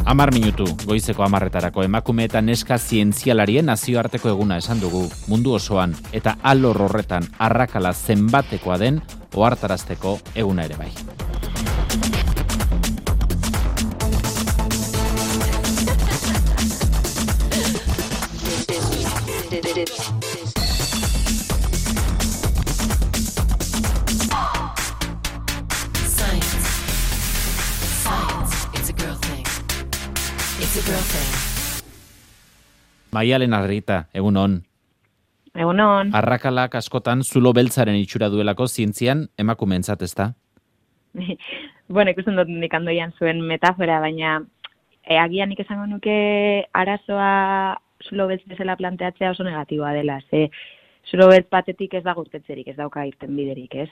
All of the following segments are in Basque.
10 minutu, goizeko 10etarako emakume eta neska zientzialarien nazioarteko eguna esan dugu mundu osoan eta alor horretan arrakala zenbatekoa den ohartarazteko eguna ere bai. Maialen Arrieta, egunon. Egunon. Arrakalak askotan zulo beltzaren itxura duelako zientzian emakumeentzat, ezta? Bueno, ikusten dut nik andoian zuen metafora, baina agian nik esango nuke arazoa zulo beltz bezala planteatzea oso negatiboa dela. Zulo beltz batetik ez da gurtetzerik, ez dauka irten biderik, ez?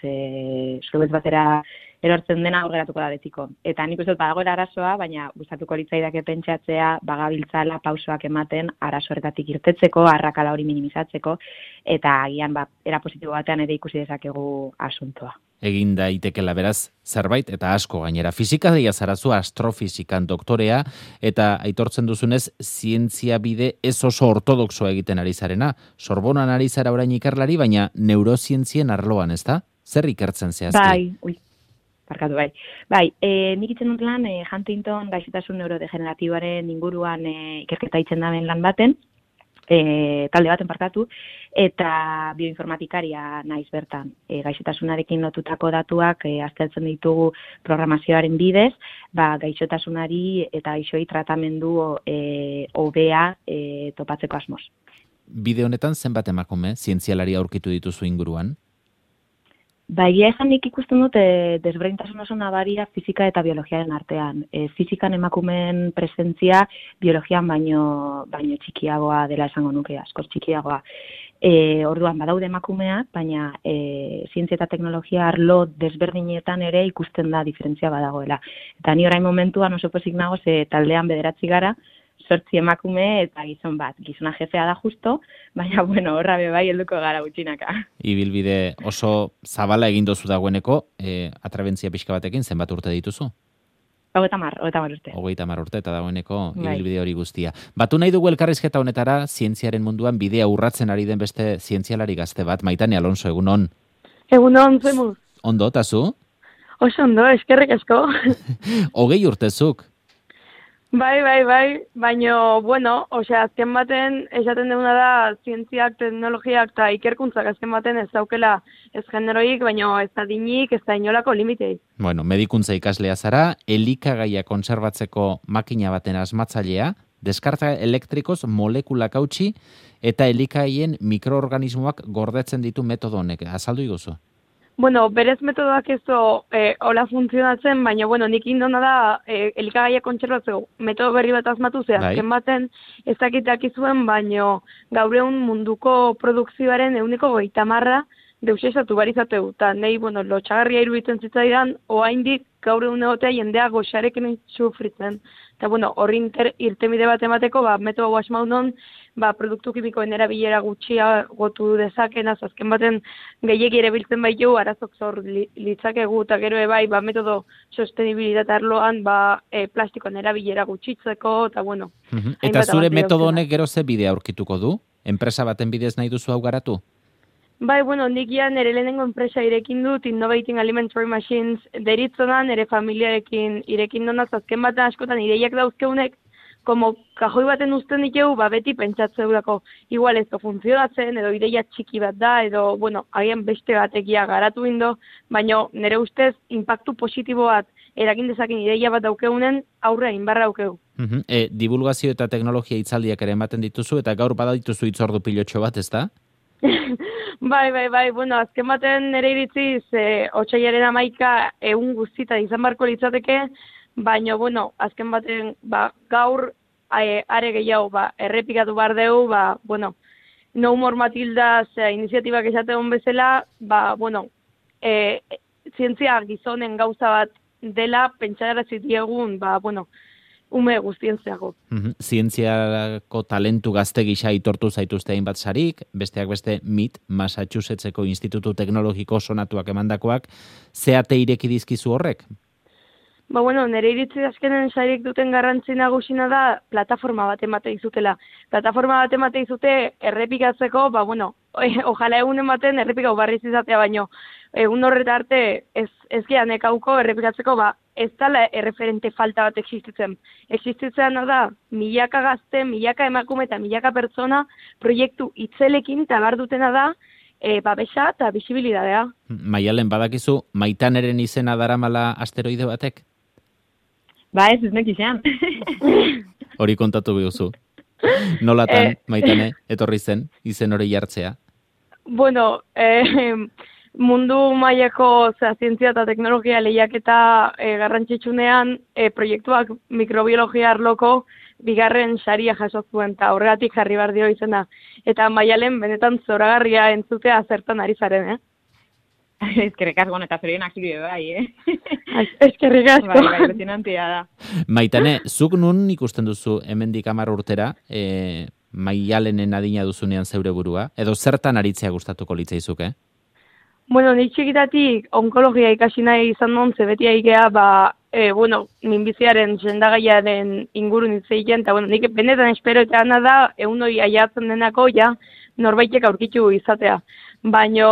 Zulo beltz batera erortzen dena aurreratuko da betiko. Eta nik uste dut badagoela arazoa, baina gustatuko litzaidake pentsatzea bagabiltzala pausoak ematen arazo horretatik irtetzeko, arrakala hori minimizatzeko, eta agian era positibo batean ere ikusi dezakegu asuntoa. Egin daitekela beraz zerbait eta asko gainera. Fizikaria zarazu astrofizikan doktorea eta aitortzen duzunez zientzia bide ez oso ortodoxoa egiten ari zarena. Sorbonan ari zara orain ikerlari, baina neurozientzien arloan, ezta? Zer ikertzen zehazki? Bai, nik itzen dut lan Huntington gaixotasun neurodegeneratiboaren inguruan ikerketa itzen daben lan baten, talde baten parkatu, eta bioinformatikaria naiz bertan. Gaixotasunarekin lotutako datuak aztertzen ditugu programazioaren bidez, gaixotasunari eta gaixoei tratamendu hobea topatzeko asmoz. Bide honetan zenbat emakume zientzialari aurkitu dituzu inguruan? Egia esan nik ikusten dut desberdintasun oso nabaria fizika eta biologiaren artean. Fizikan emakumeen presentzia biologian baino txikiagoa dela esango nuke, askoz txikiagoa. Orduan badaude emakumeak, baina zientzia eta teknologia arlo desberdinetan ere ikusten da diferentzia badagoela. Eta ni orain momentuan oso pozik nago taldean 9 gara, 8 emakume eta gizon bat. Gizona jefea da justo, baina horra bai helduko gara gutxinaka. Ibilbide oso zabala egin dozu dagoeneko, atrebentzia pixka batekin zenbat urte dituzu? 30 urte. 30 urte eta dagoeneko ibilbide hori guztia. Batu nahi dugu elkarrizketa honetara zientziaren munduan bidea urratzen ari den beste zientzialari gazte bat, Maitane Alonso, egunon. Egunon, zemuz. Ondo, eta zu? Oso ondo, eskerrik asko. 20 urtezuk. Bai, baina, azken baten esaten duguna da zientziak, teknologiak eta ikerkuntzak azken baten ez daukela ez generoik, baina ez adinik, ez da inolako limitei. Bueno, medikuntza ikaslea zara, elikagaia kontserbatzeko makina baten asmatzailea, deskarga elektrikoz molekulak hautsi eta elikagaien mikroorganismoak gordetzen ditu metodo honek. Azaldu iguzu? Bueno, berez metodoak ez hola funtzionatzen, baina, nik indona da elikagaia kontserbatzeko metodo berri bat asmatu azken baten ez dakitak izuen, baina gaur egun munduko produkzioaren 30% deusesatu barizateu. Eta nahi, lotxagarria iruditzen zitzaidan, oaindik gaur egun egotea jendea goxarekin sufritzen. Eta, horri irtenbide bat emateko, metodo guasmaudon, produktu kimikoen erabilera gutxia gotu dezaken, azken baten gehiegi ere biltzen baitu, arazok zor litzakegu, eta gero metodo sostenibilitate arloan, plastikoen erabilera gutxitzeko, eta Eta zure metodo honek gero ze bidea aurkituko du? Enpresa baten bidez nahi duzu hau garatu? Nik nire lehenengo enpresa irekin dut, Innovating Alimentary Machines deritzonan, nire familiarekin irekin donaz, azken baten askotan ideiak dauzkeunek, como kajoi baten uzten dikeu, beti pentsatzeurako igual ez funtzionatzen, edo ideia txiki bat da, edo, agian beste batekia garatu indo, baina nire ustez, impactu positibo bat erakin dezaken ideia bat daukeunen, aurre inbarra daukeu. Divulgazio eta teknologia hitzaldiak ere ematen dituzu, eta gaur badituzu hitzordu pilotxo bat, ez da? Bai, azken baten nire iritziz, otsailaren 11 egun guztita izan barko litzateke, baina, azken baten, gaur are gehiago, errepikatu behar dugu, No More Matilda iniziatibak esategon bezala, zientzia gizonen gauza bat dela, pentsagara zitiegun, ume guztien zeago. Zientziako talentu gazte gisa aitortu zaituzte hainbat sarik, besteak beste MIT, Massachusettseko Institutu Teknologiko sonatuak emandakoak, zeate ireki dizkizu horrek? Ba, bueno, nire iritzi azkenen sariek duten garrantzi nagusina da plataforma bat emate izutela. Plataforma bat emate izute errepikatzeko, ba, bueno, ojala egunen baten errepikau barriz izatea, baino egun horreta arte ez gehan ekauko errepikatzeko, ba, ez dala erreferente falta bat existitzen. Existitzen da, milaka gazte, milaka emakume eta milaka pertsona proiektu itzelekin tabar dutena da, babesa eta bisibilidadea. Maialen, badakizu, Maitaneren izena daramala asteroide batek? Ba ez nekizan. Hori kontatu bihuzu. Nolatan, Maitane, etorri zen, izen hori jartzea? Bueno, mundu mailako zientzia eta teknologia lehiaketa garrantzitsunean proiektuak mikrobiologia arloko bigarren saria jaso zuen, eta horregatik jarri behar dio izena. Eta Maialen benetan zoragarria entzutea zertan ari zaren, Eskerrik asko, eta zorionak zuri bai, Eskerrik asko. Bai, impresionantea da. Maitane, zuk nun ikusten duzu hemendik 10 urtera, Maialenen adina duzunean zeure burua, edo zertan aritzea gustatuko litzaizuke? Bueno, nik txikitatik onkologia ikasi nahi izan non, beti aigea, minbiziaren sendagaiaren ingurun itzeiten, eta nik benetan espero eta ana da, egun hori aiatzen denako, norbaitek aurkitu izatea. Baina,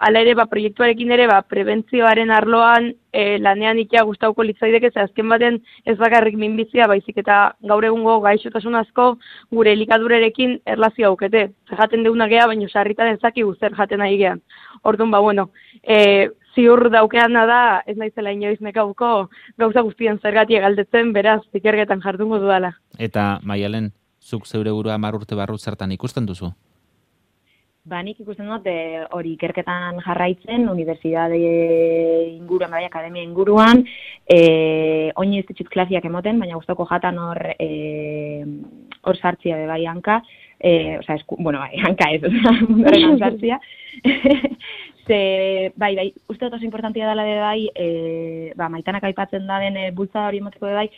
ala ere, proiektuarekin ere, prebentzioaren arloan lanean ikia gustauko litzaideke, ze azken baten ez bakarrik minbizia, baizik eta gaur egungo gaixotasun asko gure elikadurarekin erlazio aukete. Jaten deuna gea, baina sarritan ezaki zer jaten nahi gean. Orduan, ziur daukeana da, ez naizela inoiz nekauko, gauza guztien zergatik galdetzen, beraz, ikerketan jardungo dudala. Eta, Maialen, zuk zeure burua 10 urte barru zertan ikusten duzu? Ba, nik ikusten dut hori ikerketan jarraitzen, unibertsitate inguruan, akademia inguruan, oin ez ditut klasiak emoten, baina gustoko jatan hor sartzia bai hanka, hanka ez, mundoren sartzia. Bai, uste dut oso importantia dela bai, Maitanak aipatzen da den bultzada hori emoteko bai,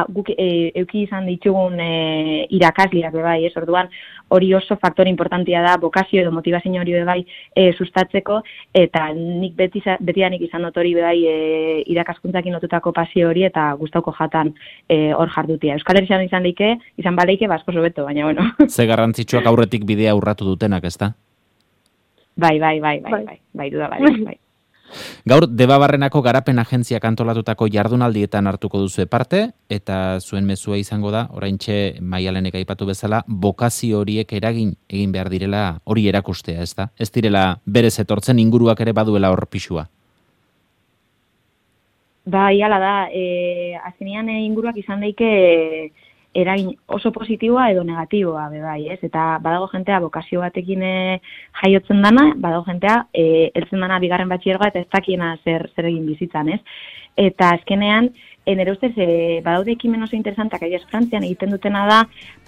guk euki izan ditugun irakasliak bai, orduan hori oso faktore importantia da, bokazio edo motivazio hori bai sustatzeko, eta nik betidanik izan dut hori bai irakaskuntzakin lotutako pasio hori, eta gustauko jatan hor jardutia. Euskal Herrian izan baleike, asko sobeto, baina bueno. Ze garrantzitsuak aurretik bidea urratu dutenak, ezta? Bai, duda, bai. Gaur, Debabarrenako garapen agentziak antolatutako jardunaldietan hartuko duzu parte, eta zuen mezua izango da, oraintxe Maialenek aipatu bezala, bokazio horiek eragin egin behar direla hori erakustea, ezta? Ez direla berez etortzen inguruak ere baduela hor pixua. Bai, hala da, azkenean inguruak izan daike eragin oso positiboa edo negatiboa, bai, ez? Eta badago jentea bokazio batekin jaiotzen dana, badago jentea heltzen dana bigarren batxilergoa eta ez dakiena zer egin bizitzan, ez? Eta azkenean, nire ustez, badaude ekimen oso interesantak, Frantzian egiten dutena da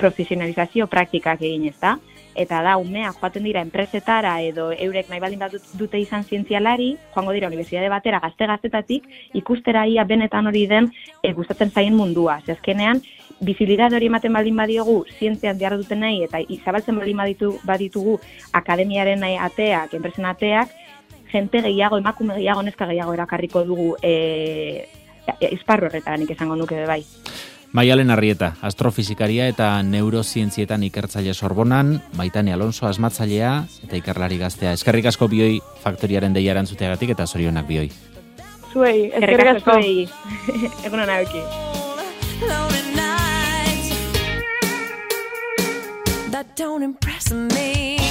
profesionalizazio praktikak egin, ez da? Eta da, umea joaten dira enpresetara edo eurek nahi baldin bat dute izan zientzialari, joango dira unibertsitate batera gazte-gaztetatik, ikustera ia benetan hori den gustatzen zaien mundua. Azkenean, bizibilitate hori ematen baldin badiogu, zientzian behar duten nahi, eta izabaltzen baldin baditugu akademiaren ateak, enpresen ateak, jente gehiago, emakume gehiago, neska gehiago erakarriko dugu esparru horretanik esango nuke bai. Maialen Arrieta, astrofizikaria eta neurozientzietan ikertzaile Sorbonan, Maitane Alonso asmatzailea eta ikerlari gaztea. Eskerrik asko bioi faktoriaren deia erantzuteagatik eta zorionak bioi. Zuei, eskerrik asko. Egunon hauki. That don't impress me.